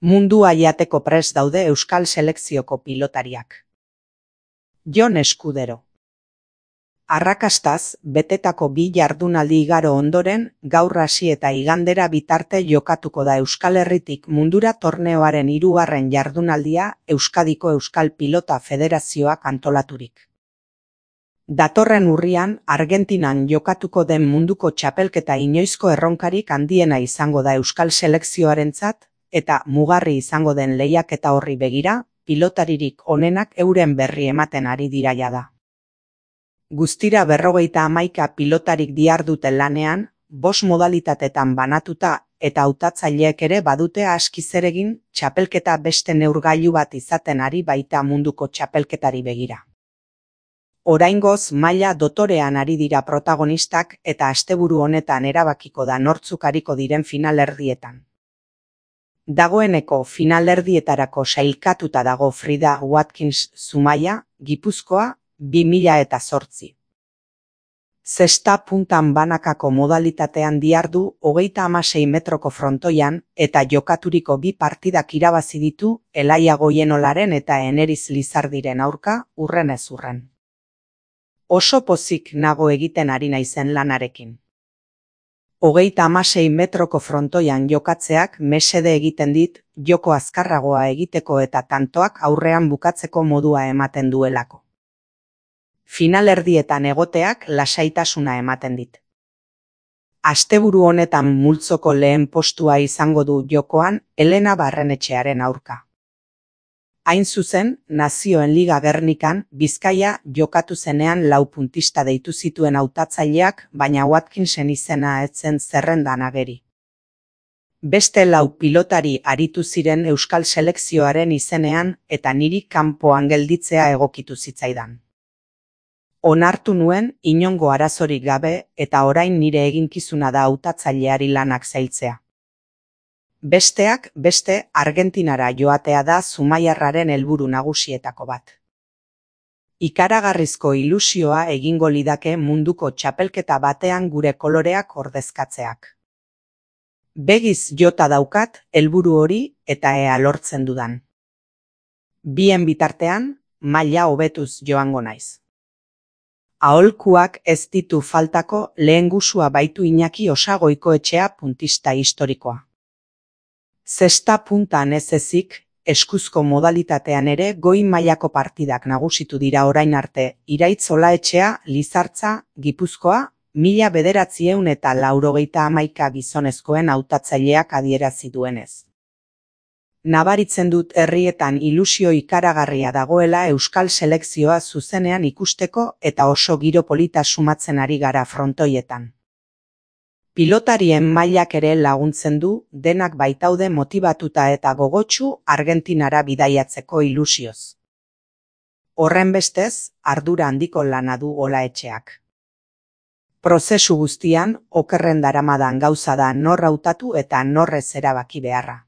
Mundua jateko prest daude euskal selekzioko pilotariak. Jon Eskudero. Arrakastaz, betetako 2 jardunaldi igaro ondoren, gaur hasi eta igandera bitarte jokatuko da Euskal Herritik mundura torneoaren 3. jardunaldia Euskadiko Euskal Pilota Federazioak antolaturik. Datorren urrian, Argentinan jokatuko den munduko txapelketa inoizko erronkarik handiena izango da Euskal selekzioarentzat, eta mugarri izango den lehiaketa horri begira, pilotaririk onenak euren berri ematen ari dira jada. Guztira 51 pilotarik dihardute lanean, 5 modalitatetan banatuta eta hautatzaileek ere badute aski zer egin txapelketa beste neurgailu bat izaten ari baita munduko txapelketari begira. Oraingoz maila dotorean ari dira protagonistak eta asteburu honetan erabakiko da nortzuk ariko diren finalerdietan. Dagoeneko finalerdietarako sailkatuta dago Frida Watkins Zumaia, Gipuzkoa, 2008. Zesta puntan banakako modalitatean dihardu 36 metroko frontoian eta jokaturiko 2 partidak irabazi ditu Elaia Goienolaren eta Eneriz Lizardiren aurka urrenez urren. Oso pozik nago egiten ari naizen lanarekin. 36 metroko frontoian jokatzeak mesede egiten dit joko azkarragoa egiteko eta tantoak aurrean bukatzeko modua ematen duelako. Finalerdietan egoteak lasaitasuna ematen dit. Asteburu honetan multzoko lehen postua izango du jokoan Elena Barrenetxearen aurka. Hain zuzen, Nazioen Liga Gernikan Bizkaia jokatu zenean 4 puntista deitu zituen hautatzaileak, baina Watkinsen izena ez zen zerrendan ageri. Beste 4 pilotari aritu ziren euskal selekzioaren izenean eta niri kanpoan gelditzea egokitu zitzaidan. Onartu nuen inongo arazorik gabe eta orain nire eginkizuna da hautatzaileari lanak zailtzea. Besteak beste Argentinara joatea da zumaiarraren helburu nagusietako bat. Ikaragarrizko ilusioa egingo lidake munduko txapelketa batean gure koloreak ordezkatzeak. Begiz jota daukat helburu hori eta ea lortzen dudan. Bien bitartean, maila hobetuz joango naiz. Aholkuak ez ditu faltako lehengusua baitu Iñaki Osagoikoetxea puntista historikoa. Zesta puntan ez ezik, eskuzko modalitatean ere goi mailako partidak nagusitu dira orain arte Iraitz Olaetxea, Lizartza, Gipuzkoa, 1991 gizonezkoen hautatzaileak adierazi duenez. Nabaritzen dut herrietan ilusio ikaragarria dagoela euskal selekzioa zuzenean ikusteko eta oso giro polita sumatzen ari gara frontoietan. Pilotarien mailak ere laguntzen du, denak baitaude motibatuta eta gogotsu Argentinara bidaiatzeko ilusioz. Horrenbestez, ardura handiko lana du Olaetxeak. Prozesu guztian, okerren daramadan gauza da nor hautatu eta norrez erabaki beharra.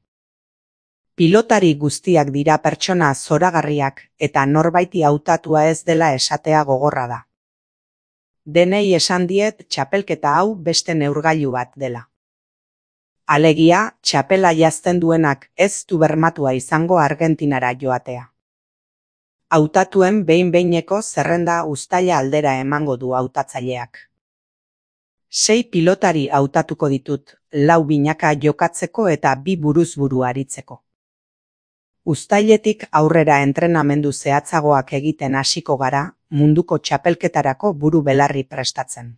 Pilotari guztiak dira pertsona zoragarriak eta norbaiti hautatua ez dela esatea gogorra da. Denei esan diet txapelketa hau beste neurgailu bat dela. Alegia, txapela jazten duenak ez du bermatua izango Argentinara joatea. Hautatuen behin-behineko zerrenda uztaila aldera emango du hautatzaileak. 6 pilotari hautatuko ditut, 4 binaka jokatzeko eta 2 buruz-buru aritzeko. Uztailetik aurrera entrenamendu zehatzagoak egiten hasiko gara, munduko txapelketarako buru belarri prestatzen.